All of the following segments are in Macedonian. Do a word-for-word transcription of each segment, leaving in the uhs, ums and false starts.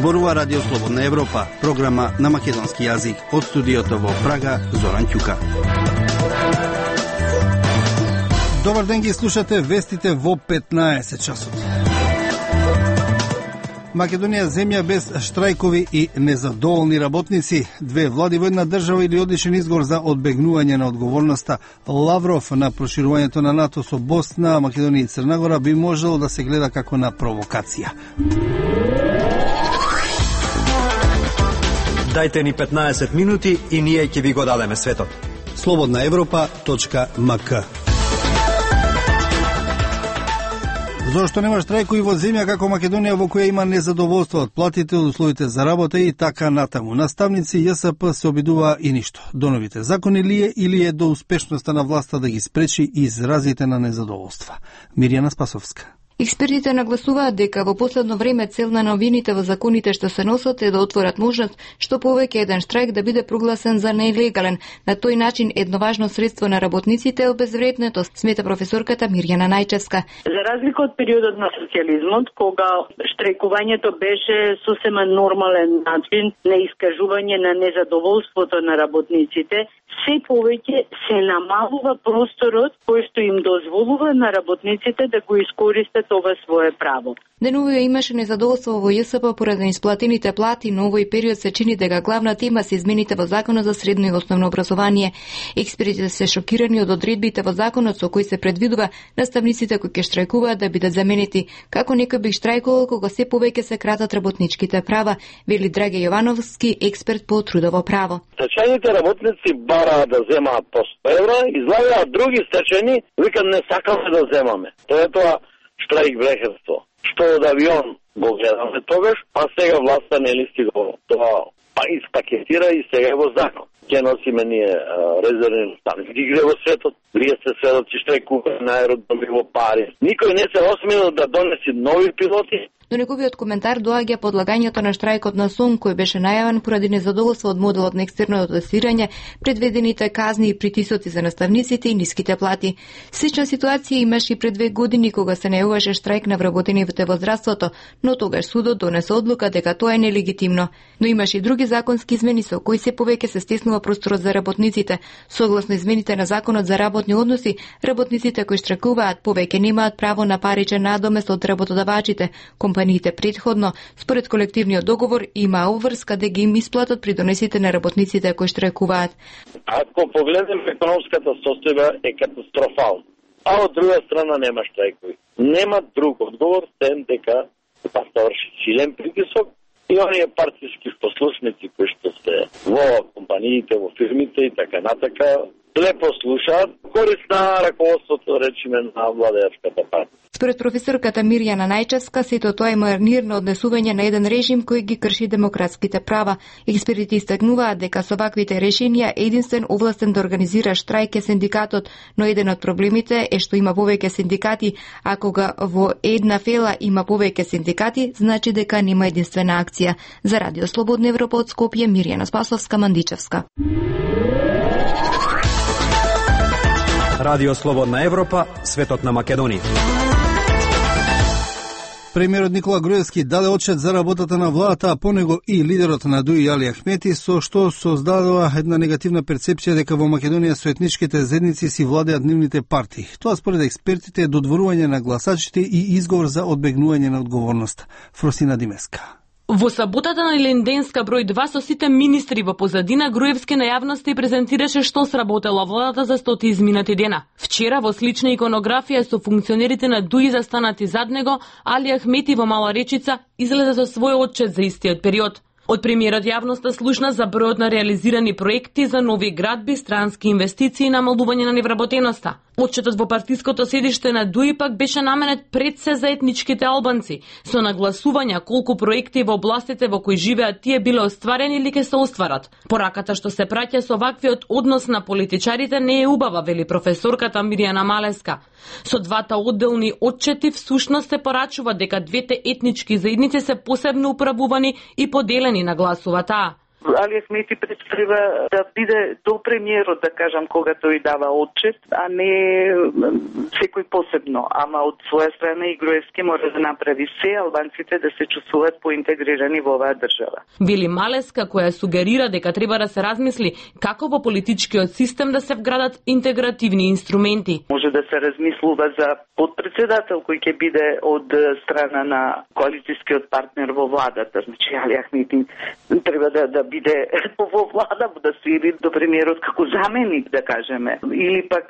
Зборува Радио Слободна Европа, програма на македонски јазик. Од студиото во Прага, Зоран Ќука. Добар ден, ги слушате вестите во петнаесет часот. Македонија земја без штрајкови и незадоволни работници. Две влади во една држава или одличен изговор за одбегнување на одговорноста. Лавров на проширувањето на НАТО со Босна, Македонија и Црна Гора би можело да се гледа како на провокација. Дајте ни петнаесет минути и ние ќе ви го дадеме светот. слободна европа точка ем ка. Зошто нема штрајкови во земја како Македонија во која има незадоволство од платите, од условите за работа и така натаму. Наставници Ја С П се обидува и ништо. До новите закони ли е или е до успешноста на власта да ги спречи изразите на незадоволства? Мирјана Спасовска. Експертите нагласуваат дека во последно време цел на новините во законите што се носат е да отворат можност што повеќе еден штрајк да биде прогласен за нелегален. На тој начин едно важно средство на работниците е обезвреднето, смета професорката Мирјана Најчевска. За разлика од периодот на социјализмот, кога штрајкувањето беше сосема нормален начин на искажување на незадоволството на работниците, се повеќе се намалува просторот кој што им дозволува на работниците да го искористат ова свое право. Денувија имаше незадоволство во Ја С П поради исплатените плати, но овој период се чини дека главна тема се измените во Законот за средно и основно образование. Експертите се шокирани од одредбите во законот со кои се предвидува наставниците кои ќе штрајкуваат да бидат заменети. Како некој би штрајкувал кога се повеќе се кратат работничките права, вели Драге Јовановски, експерт по трудово право. Стечајните работници бараат да земаат по сто евра, излагаат други стечајни, викат не сакаме да земаме. Тоа е тоа штрајк брехерство. Што од авион го гледаме тогаш, а сега власта не ли стига тоа па испакетира и сега е во закон. Ке носиме ние резервни наставници. Игре во светот, вие сте сведоци штрајкуваат на аеродроми во Париз. Никој не се осмелил да донеси нови пилоти. До неговиот коментар доаѓа подлагањето на штрајкот на СОН, кој беше најавен поради незадоволство од моделот на екстерно тестирање, предвидените казни и притисоци за наставниците и ниските плати. Слична ситуација имаше и пред две години кога се најавуваше штрајк на вработените во здравството, но тогаш судот донесе одлука дека тоа е нелегитимно. Но имаше и други законски измени со кои се повеќе се стеснува просторот за работниците. Согласно измените на Законот за работни односи, работниците кои штрајкуваат повеќе немаат право на паричен надомест од работодавачите. Компаниите претходно, според колективниот договор, има обврска да ги им исплатат придонесите на работниците кои штрајкуваат. Ако погледнем економската состојба е катастрофална, а од друга страна нема штрајкови. Нема друг одговор, сем дека па врши силен притисок и оние партиски послушници кои што се во компаниите, во фирмите и така натака, лепо слушаат, корист на раководството, речиме, на владеачката партија. Според професорката Мирјана Најчевска, сето тоа е марнирно однесување на еден режим кој ги крши демократските права. Експертите истакнуваат дека со ваквите решенија единствен овластен да организира штрајк е синдикатот, но еден од проблемите е што има повеќе синдикати, а кога во една фела има повеќе синдикати, значи дека нема единствена акција. За Радио Слободна Европа од Скопје, Мирјана Спасовска, Мандичевска. Радио Слободна Европа, светот на Македонија. Премиерот Никола Груевски даде отчет за работата на владата, а по него и лидерот на ДУИ Али Ахмети, со што создадува една негативна перцепција дека во Македонија со етничките заедници си владеат нивните партии. Тоа според експертите е додворување на гласачите и изговор за одбегнување на одговорност. Фросина Димеска. Во саботата на Ленденска број два со сите министри во позадина, Груевски на јавноста и презентираше што сработела владата за стоти изминати дена. Вчера во слична иконографија со функционерите на ДУИ застанати зад него, Али Ахмети во Мала Речица излезе со свој отчет за истиот период. Од премиерот јавноста слушна за бројот на реализирани проекти за нови градби, странски инвестиции и намалување на невработеноста. Отчетот во партиското седиште на ДУИ пак беше наменет пред се за етничките албанци, со нагласувања колку проекти во областите во кои живеат тие биле остварени или ќе се остварат. Пораката што се праќа со ваквиот однос на политичарите не е убава, вели професорката Мирјана Малеска. Со двата одделни отчети всушност се порачува дека двете етнички заедници се посебно управувани и поделени, нагласува таа. Али Ахмети представа да биде до премиерот, да кажам, кога тој дава отчет, а не секој посебно. Ама од своја страна и Груевски мора да направи се албанците да се чувствуваат поинтегрирани во оваа држава. Вели Малеска, која сугерира дека треба да се размисли како во политичкиот систем да се вградат интегративни инструменти. Може да се размислува за подпредседател кој ќе биде од страна на коалицијскиот партнер во владата. Значи Али Ахмети треба да да биде во влада, да се иди до премиерот како заменик, да кажеме, или пак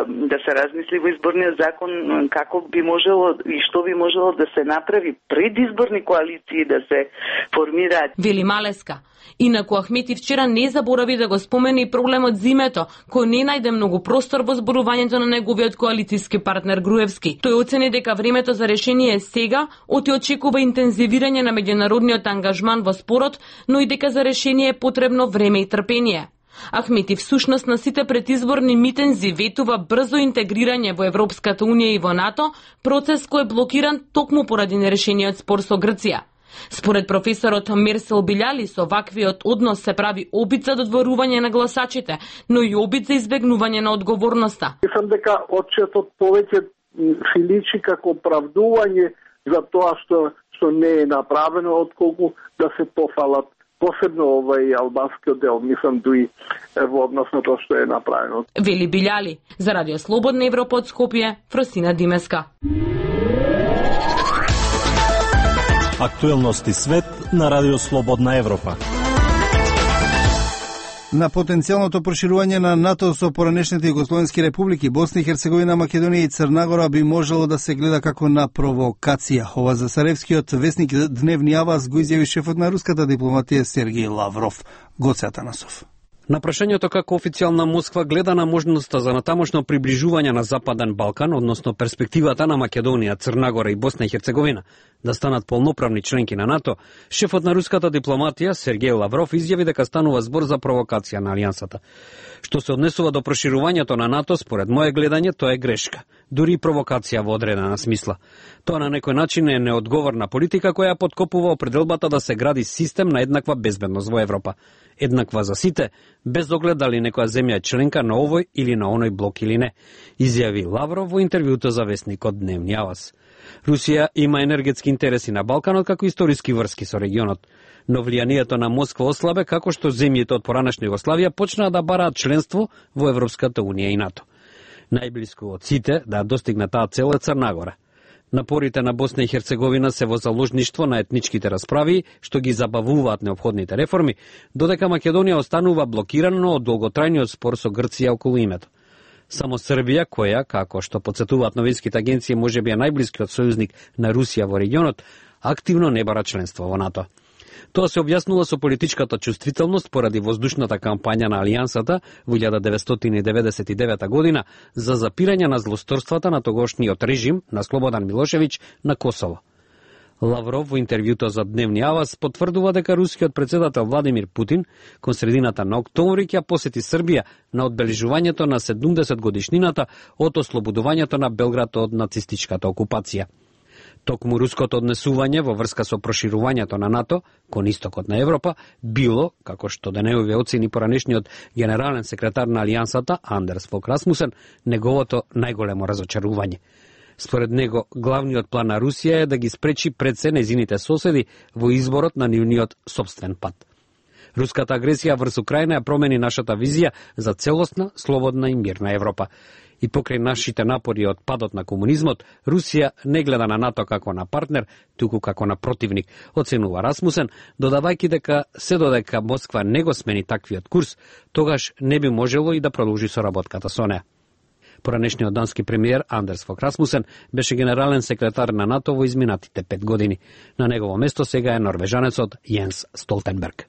да се размисли во изборниот закон како би можело и што би можело да се направи предизборни коалиции да се формираат. Вели Малеска. Инаку Ахмети вчера не заборави да го спомени и проблемот зимето, кој не најде многу простор во зборувањето на неговиот коалицијски партнер Груевски. Тој оцени дека времето за решение е сега, оти очекува интензивирање на меѓународниот ангажман во спорот, но и дека за решение е потребно време и трпение. Ахмети всушност на сите предизборни митинзи ветува брзо интегрирање во Европската унија и во НАТО, процес кој е блокиран токму поради нерешениот спор со Грција. Според професорот Мерсел Билјали, со ваквиот однос се прави обид за додворување на гласачите, но и обид за избегнување на одговорноста. Мислам дека отчетот повеќе се личи како оправдување за тоа што што не е направено, отколку да се пофалат посебно овај албанскиот дел, мислам дуи во однос на тоа што е направено. Вели Билјали. За Радио Слободна Европа од Скопје, Фросина Димеска. Актуелности свет на Радио Слободна Европа. На потенцијалното проширување на НАТО со поранешните југословенски републики Босна и Херцеговина, Македонија и Црна Гора би можело да се гледа како на провокација. Ова за Сараевскиот весник Дневни Аваз го изјави шефот на руската дипломатија Сергеј Лавров. Гоце Атанасов. На прашањето како официјална Москва гледа на можноста за натамошно приближување на Западен Балкан, односно перспективата на Македонија, Црна Гора и Босна и Херцеговина да станат полноправни членки на НАТО, шефот на руската дипломатија Сергеј Лавров изјави дека станува збор за провокација на алијансата. Што се однесува до проширувањето на НАТО, според моје гледање, тоа е грешка, дури и провокација во одредена смисла. Тоа на некој начин е неодговорна политика која подкопува определбата да се гради систем на еднаква безбедност во Европа. Еднаква за сите, без оглед дали некоја земја е членка на овој или на оној блок или не, изјави Лавров во интервјуто за весникот Дневни Аваз. Русија има енергетски интереси на Балканот како историски врски со регионот, но влијанието на Москва ослабе како што земјите од поранешна Југославија почнаа да бараат членство во Европската унија и НАТО. Најблиску од сите да достигне таа цел е Црна Гора. Напорите на Босна и Херцеговина се во заложништво на етничките расправи, што ги забавуваат неопходните реформи, додека Македонија останува блокирана од долготрајниот спор со Грција околу името. Само Србија, која, како што потсетуваат новинските агенции, можеби е најблискиот сојузник на Русија во регионот, активно не бара членство во НАТО. Тоа се објаснува со политичката чувствителност поради воздушната кампања на Алијансата во илјада деветстотини деветдесет и девета година за запирање на злосторствата на тогошниот режим на Слободан Милошевиќ на Косово. Лавров во интервјуто за Дневни Аваз потврдува дека рускиот председател Владимир Путин кон средината на октомври ќе посети Србија на одбележувањето на седумдесет годишнината од ослободувањето на Белград од нацистичката окупација. Токму руското однесување во врска со проширувањето на НАТО кон истокот на Европа било, како што денеови оцени поранешниот генерален секретар на Алијансата Андерс Фок Расмусен, неговото најголемо разочарување. Според него, главниот план на Русија е да ги спречи пред се нејзините соседи во изборот на нивниот собствен пат. Руската агресија врз Украина ја промени нашата визија за целосна, слободна и мирна Европа. И покрај нашите напори од падот на комунизмот, Русија не гледа на НАТО како на партнер, туку како на противник, оценува Расмусен, додавајќи дека се додека Москва не го смени таквиот курс, тогаш не би можело и да продолжи соработката со неа. Поранешниот дански премиер Андерс Фок Расмусен беше генерален секретар на НАТО во изминатите пет години. На негово место сега е норвежанецот Јенс Столтенберг.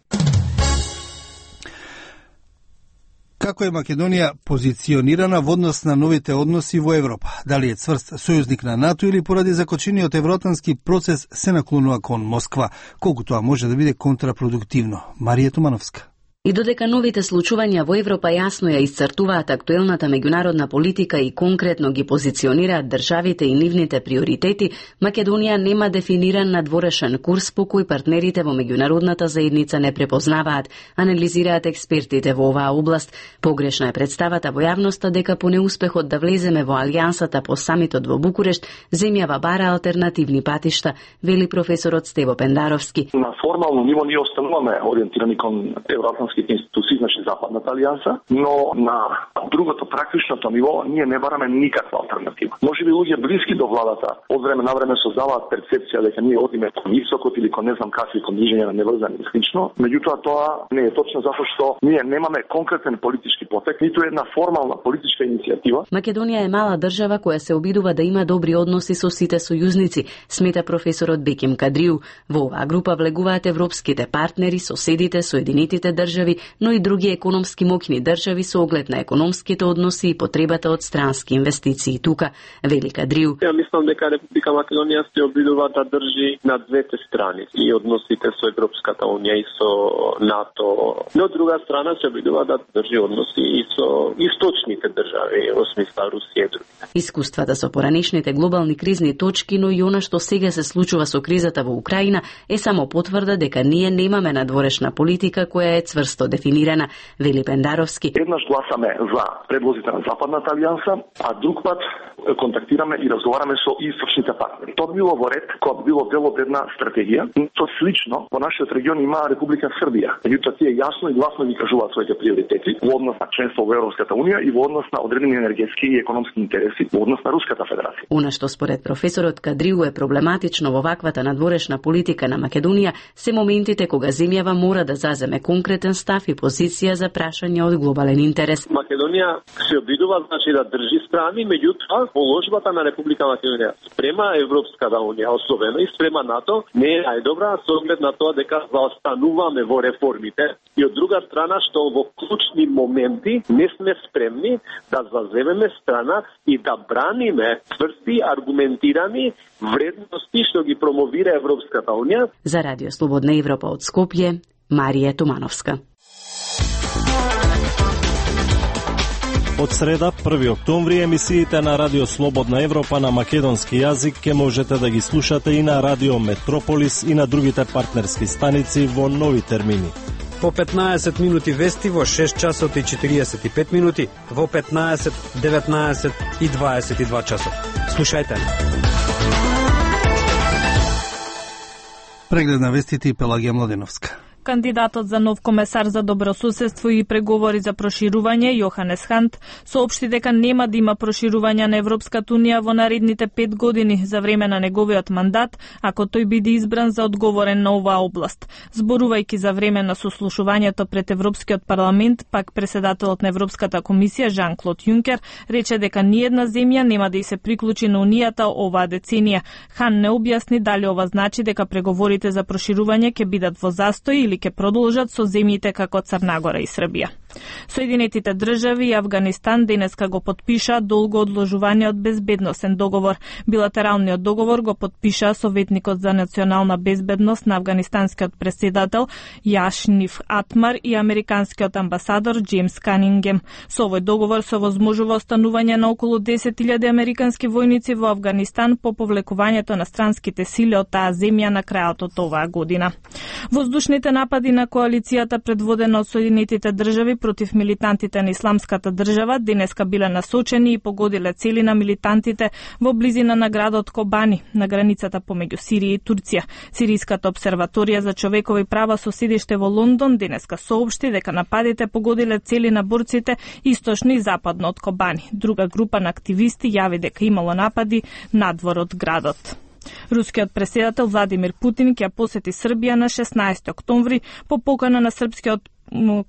Како е Македонија позиционирана во однос на новите односи во Европа? Дали е цврст сојузник на НАТО или поради закочениот евроатлантски процес се наклонува кон Москва? Колку тоа може да биде контрапродуктивно? Марија Томановска. И додека новите случувања во Европа јасно ја исцртуваат актуелната меѓународна политика и конкретно ги позиционираат државите и нивните приоритети, Македонија нема дефиниран надворешен курс по кој партнерите во меѓународната заедница не препознаваат, анализираат експертите во оваа област. Погрешна е представата во јавноста дека по неуспехот да влеземе во алијансата по самитот во Букурешт, земјава бара алтернативни патишта, вели професорот Стево Пендаровски. На формално ниво ние остануваме ориентирани кон евроатлантските институции, значи Западната алијанса, но на другото практичното ниво ние не бараме никаква алтернатива. Може би луѓе блиски до владата од време на време создаваат перцепција дека ние одиме кон исокот или кон не знам какви кон движење на неврзани и слично, меѓутоа тоа не е точно затоа што ние немаме конкретен политички потек, ниту една формална политичка иницијатива. Македонија е мала држава која се обидува да има добри односи со сите сојузници, смета професорот Беким Кадриу. Во оваа група влегуваат европските партнери, соседите, Соединетите држави, но и други економски моќни држави со оглед на економските односи и потребата од странски инвестиции тука, вели Кадриу. Ја мислам дека Република Македонија се обидува да држи на двете страни и односите со Европската унија и со НАТО, но од друга страна се обидува да држи односи и со источните држави, во смисла Русија и други. Искуствата со поранешните глобални кризни точки, но и она што сега се случува со кризата во Украина, е само потврда дека ние немаме надворешна политика која е цврсто дефинирана, вели Пендаровски. Еднаш гласаме за предлозите на Западната алијанса, а друг пат контактираме и разговараме со источните партнери. Тоа било во ред, кога било дел од една стратегија. Тоа слично во нашиот регион има Република Србија. Меѓутоа тие јасно и гласно ги кажуваат своите приоритети во однос на членство во Европската унија и во однос на одредени енергетски и економски интереси во однос на Руската федерација. Она што според професорот Кадриу е проблематично во ваквата надворешна политика на Македонија се моментите кога земјава мора да заземе конкретен став и позиција за прашање од глобален интерес. Македонија се обидува значи да држи страни, меѓутоа положбата на Република Македонија спрема Европската унија, особено и спрема НАТО, не е најдобра со оглед на тоа дека заостануваме во реформите и од друга страна што во клучни моменти не сме спремни да заземеме страна и да браниме тврсти, аргументирани вредности што ги промовира Европската унија. За Радио Слободна Европа од Скопје, Марија Тумановска. Од среда, први октомври, емисиите на Радио Слободна Европа на македонски јазик ке можете да ги слушате и на Радио Метрополис и на другите партнерски станици во нови термини. По петнаесет минути вести во шест часот и четириесет и пет минути, во петнаесет, деветнаесет и дваесет и два часот. Слушајте. Преглед на вестите и Пелагија Младеновска. Кандидатот за нов комесар за добросуседство и преговори за проширување, Јоханес Хант, соопшти дека нема да има проширување на Европската унија во наредните пет години за време на неговиот мандат, ако тој биде избран за одговорен на оваа област. Зборувајќи за време на сослушувањето пред Европскиот парламент, пак председателот на Европската комисија Жан-Клод Јункер рече дека ниедна земја нема да и се приклучи на унијата оваа деценија. Хан не објасни дали ова значи дека преговорите за проширување ќе бидат во застој или ќе продолжат со земјите како Црна Гора и Србија. Соединетите држави и Авганистан денеска го подпиша долго одложуваниот безбедносен договор. Билатералниот договор го подпиша советникот за национална безбедност на афганистанскиот претседател Јашниф Атмар и американскиот амбасадор Джеймс Канингем. Со овој договор се возможува останување на околу десет илјади американски војници во Авганистан по повлекувањето на странските сили од таа земја на крајот од оваа година. Воздушните напади на коалицијата предводена од Соединетите држави против милитантите на Исламската држава денеска биле насочени и погодиле цели на милитантите во близина на градот Кобани, на границата помеѓу Сирија и Турција. Сиријската обсерваторија за човекови права со седиште во Лондон денеска соопшти дека нападите погодиле цели на борците источно и западно од Кобани. Друга група на активисти јави дека имало напади надвор од градот. Рускиот претседател Владимир Путин ќе посети Србија на шеснаесети октомври по покана на српскиот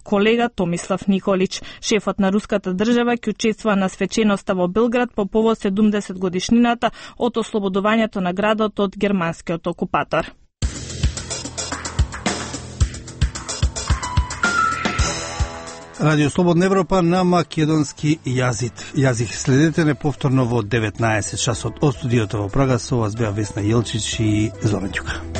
колега Томислав Николич. Шефот на руската држава ќе учествува на свеченоста во Белград по повод седумдесет годишнината од ослободувањето на градот од германскиот окупатор. Радио Слободна Европа на македонски јазик. Јазик следете не повторно во деветнаесет часот од студиото во Прага. Со вас беа Весна Јелчич и Зоран Ѓука.